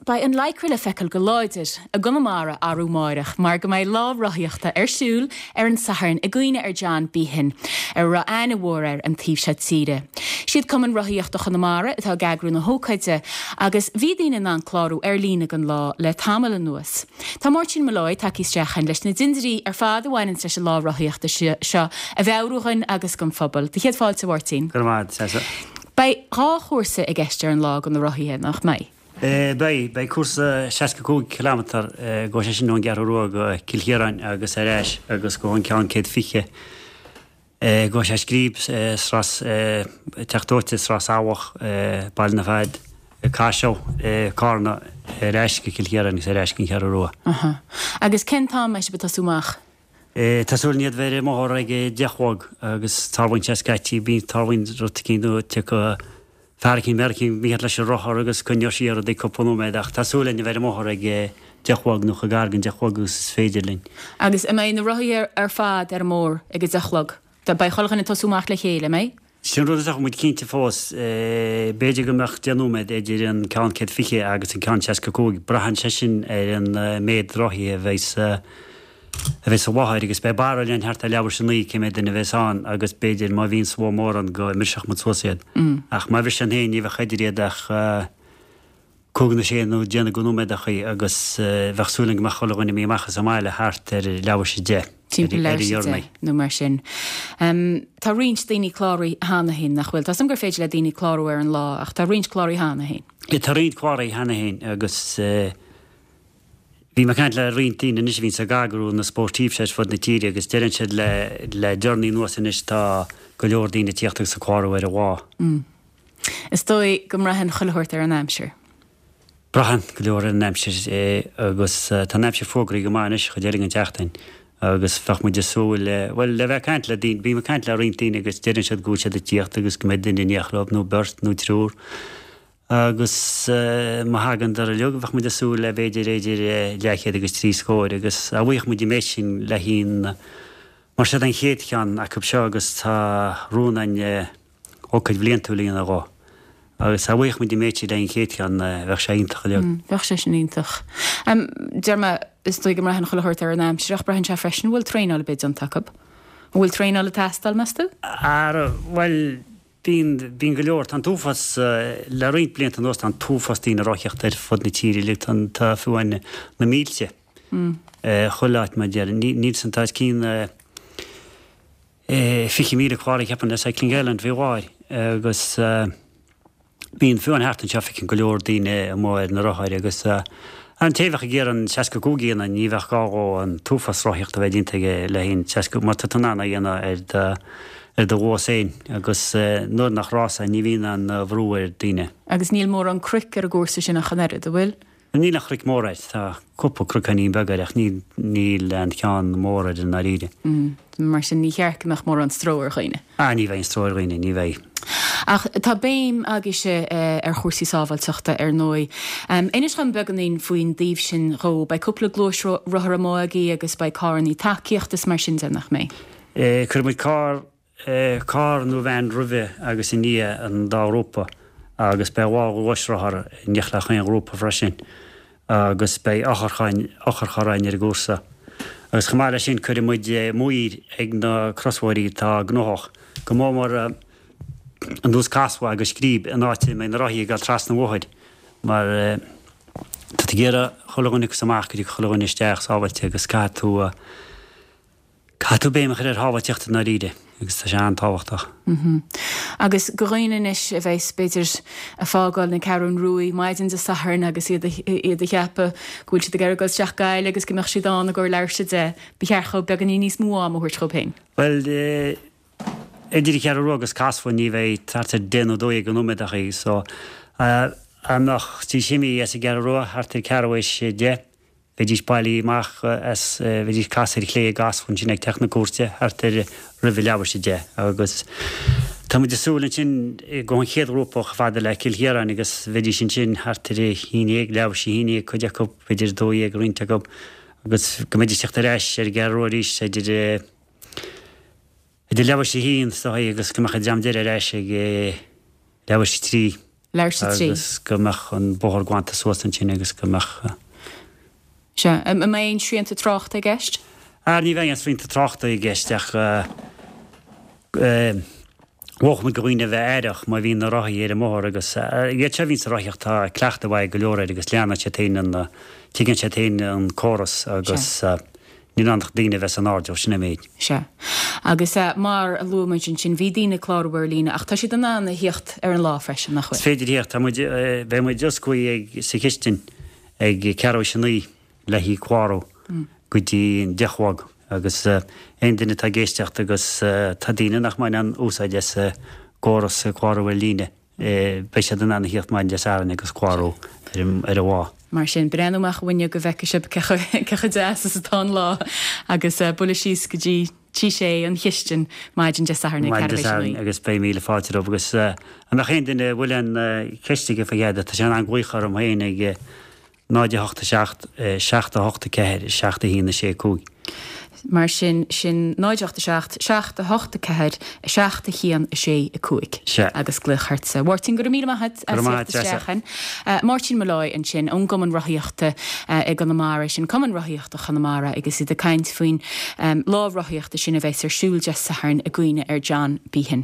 beidh an lycra le feiceáil go láidir i gConamara arú amáireach mar go mbeidh lá rothaíochta ar siúl ar an Satharn i gcuimhne ar John Behan, a raibh aithne mhór air an taobh seo tíre. Siad Cumann Rothaíochta Chonamara atá ag eagrú na hócáide agus bhí daoine in ann clárú ar líne don lá le tamall anuas. Tá Máirtín Molloy tagtha isteach chugainn leis na dindirí ar fad a bhaineanns leis an lá rothaíochta seo a mheabhrú dhuinn agus don phobal. Do chéad fáilte, a Mháirtín. Go raibh maith agat, Treasa. Beidh 2 chúrsa i gceist ar an lá do na rothaithe, nach mbeidh? Beidh. Beidh cúrsa 65 kilometre, gabhfaidh sé sin ón gCeathrú Rua go Cill Chiaráin agus ar ais agus gabhfaidh an ceann 120, gabhfaidh sé Scríb, Srath, Teach Dóite, Srath Sabhach, Baile na Fad, Caiseal, Cárna, ar ais go Cill Chiaráin agus ar ais go an Cheathrú Rua. Aha. Agus cén t-am a mbeidh sibh ag tosú amach? Tá súil againn a bheith ar an mbóthar ag a 10 a chlog agus tarlaíonn sé scaití, bíonn, tarlaíonn rud eicínt nó tiocfaidh fear eicínt, bean eicínt mícheart leis an rothar agus coinneoidh siar rudaí cúpla nóiméad ach tá súil againn a bheith ar an mbóthar ag a 10 a chlog nó chomh gar don 10 a chlog agus is féidir linn. Agus an mbeidh na rothaithe ar fad ar an mbóthar ag a 10 a chlog? Beidh chuile dhuine ag tosú amach le chéile, an mbeidh? Sin rud atá muid cinnte fós. B'fhéidir go mbeadh 10 nóiméad idir an ceann 120 agus an ceann 65. Braitheann sé sin ar an méid rothaithe a bheidh sa a bheidh sa láthair agus beidh barúil againn thart ar leathuair tar éis a 9 cé mhéad duine a bheas ann agus b'fhéidir má bhíonn slua mór ann go mbrisfeadh muid suas iad. Ach má bhriseann féin ní bheadh idir iad ach 5 nó 6 nó déanamh de nóiméadachaí agus bheadh súil againn go mbeadh chuile dhuine imithe amach as an mbaile thart ar leathuair tar éis a 10, Timpeall leathuair tar éis a 10 nó mar sin. Tá roinnt daoine cláraithe cheana féin, nach bhfuil? Tá 's agam gur féidir le daoine clárú ar an lá ach tá roinnt cláraithe cheana féin. Tá roinnt cláraithe cheana féin agus bhí mé ag caint le roinnt daoine anois a bhíonns ag eagrú na sportifs ar fud na tíre agus deireann siad le le deireanaí anuas anois tá go leor daoine ag tíocht agus ag clárú ar an lá. Is dóigh go mbraitheann chuile shórt ar an aimsir. Braitheann go leor ar an aimsir agus tá an aimsir fógraithe go maith anois chuid eile den tseachtain agus bheadh muid ag súil le, bhuel, le bheith ag caint le daoine, bím ag caint le roinnt daoine agus deireann siad go bhfuil siad ag tíocht agus go mbeidh duine in éineacht leo nó beirt nó triúr agus má thagann dar uilig bheadh muid ag súil le b'fhéidir idir leathchéad agus trí scóir agus dá bhfaigheadh muid an méid sin le haghaidh an, mar seo den chéad cheann acu seo agus tá rún againn ócáid bhliantúil a dhéanamh dhó. Agus dá bhfaigheadh muid an méid sin le haghaidh an chéad cheann, bheadh sé iontach uilig. Bheadh sé sin iontach. Deir mé, is dóigh go mbraitheann chuile shórt ar an aimsir, ach braitheann sé freisin, an bhfuil traenáil ar bith déanta acu? An bhfuil traenáil ag teastáil, meas tú? Ara, bhuel, bíonn, bíonn go leor. Tá an t-uafás, le roinnt blianta anuas, tá an t-uafás daoine ag rothaíocht ar fud na tíre uilig. Tá, tá fiú amháin na mílte, chuile áit mar a déarfainn. Níl san, tá os cionn, 20,000 cláraithe ceapaim le Cycling Ireland faoi láthair agus bíonn fiú amháin thart anseo feiceann go leor daoine amuigh ar na rothair agus an té a bheadh ag iarraidh an 65 a dhéanamh ní bheadh gá dhó an t-uafás rothaíochta a bheith déanta aige le haghaidh an 60 mar tá tú in ann é a dhéanamh ar do ar do luas féin agus nuair nach rás é ní bhíonn aon bhrú ar daoine. Agus níl mórán cnoic ar an gcúrsa sin ach an oiread, an bhfuil? Níl aon chnoic mór air. Tá cúpla cnocáinín beag air ach níl níl aon cheann mór air i ndáiríre. Mar sin ní cheart go mbeadh mórán stró ar dhaoine. Ah ní bheidh aon stró ar dhaoine, ní bheidh. Ach tá béim agaibhse ar chúrsaí sábháilteachta ar ndóigh. Inis dhom beagáinín faoin dtaobh sin dhó. Beidh cúpla gluaisrothar amuigh agaibh agus beidh carrannaí tacaíochta is mar sin de, nach mbeidh? Cuirfidh muid carr carr nó veain roimhe agus i ndiaidh an dá ghrúpa agus beidh dhá ghluaisrothar in éineacht le chaon ghrúpa freisin agus beidh otharcharr againn ar an gcúrsa. Agus chomh maith leis sin cuirfidh muid maoir ag na crosbhóithrí atá gnóthach, go mór mór ar nós Casla agus Scríb an áit a mbeidh na rothaithe ag dul trasna an bhóthair mar tá tú ag iarraidh chuile dhuine acu amach go dtiocfaidh chuile dhuine isteach sábháilte agus caithfidh tú Caithfidh tú béim a chur ar shábháilteacht i ndáiríre agus tá sé an-tábhachtach. Agus do dhaoine anois a bheas, b'fhéidir, ag fágáil na Ceathrún Ruaidh maidin Dé Sathairn agus iad iad ag ceapadh go bhfuil siad ag iarraidh dul isteach Gaillimh agus go mbeadh siad ann i gcomhair leathuair tar éis a 10, ba cheart dhóibh beagáinín níos mó ama a thabhairt dhóibh féin. Bhuel, idir an Cheathrú Rua agus Casla ní bheidh thart ar 10 nó 12 nóiméadachaí so dá mbeidís imithe as an gCeathrú Rua thart ar ceathrú théis 10, Bheidís bailithe amach as, bheidís ag casadh ar chlé i gCasla ansin ag Teach na Cúirte thart ar roimh a leathuair tar éis 10 agus tá muid ag súil ansin go an chéad ghrúpa chomh fada le Cill Chiaráin agus bheidís ansin thart ar a haon dhéag, leathuair tar éis a haon dhéag cuid acu, b'fhéidir 12 roinnt acu agus go mbeidís ag teacht ar ais ar an gCeathrú Rua arís idir idir leathuair tar éis a haon is dóigh agus go mbeadh an dream deiridh ar ais ag leathuair tar éis a trí. Leathuair tar éis a 3. Agus go mbeadh an bóthar glanta suas ansin agus go mbeadh. Sea. An mbeidh aon srianta tráchta i gceist? Ah, ní bheidh aon srianta tráchta i gceist ach mholfadh muid do dhaoine a bheith aireach má bhíonn na rothaí ar an mbóthar agus iad seo a bhíonn sa rothaíocht tá cleachtadh mhaith ag go leor air agus leanann siad féin an, tuigeann siad féin an córas agus níl ann ach daoine a bheith san airdeall, sin an méid. Sea. Agus mar a luaigh muid ansin, bhí daoine ag clárú ar líne ach tá siad in ann a thíocht ar an lá freisin, nach bhfuil? Is féidir thíocht, tá muid, beidh muid osclaithe ag, sa chistin ag ceathrú théis a 9 le haghaidh clárú go dtí an 10 a chlog agus aon duine atá ag éisteacht agus tá daoine nach mbaineann úsáid as an gcóras clárú ar líne, beidh siad in ann a thíocht maidin Dé Sathairn agus clárú ar an lá. Mar sin, breathnú amach an bhfuinneog go bhfeicfidh sibh cé chomh deas is atá an lá agus bualadh síos go dtí Tí Sé, an chistin, maidin Dé Sathairn ag ceathrú théis a 9. Agus beidh míle fáilte romhaibh agus an mbeadh aon duine a bhfuil aon cheist aige fá dtaobh de, tá sé in ann glaoch orm féin ag 0 8 7 7 8 4 7 1 6 5. Mar sin, sin 0 8 7 7 8 4 7 1 6 5. Sea. Agus glaoch ortsa. A Mháirtín, go raibh míle maith agat Go as raibh maith theacht agat, isteach chugainn. Máirtín Molloy ansin ón gCumann Rothaíochta i gConamara, sin Cumann Rothaíochta Chonamara agus iad ag caint faoin lá rothaíochta sin a bheas ar siúl Dé Sathairn i gcuimhne ar John Behan.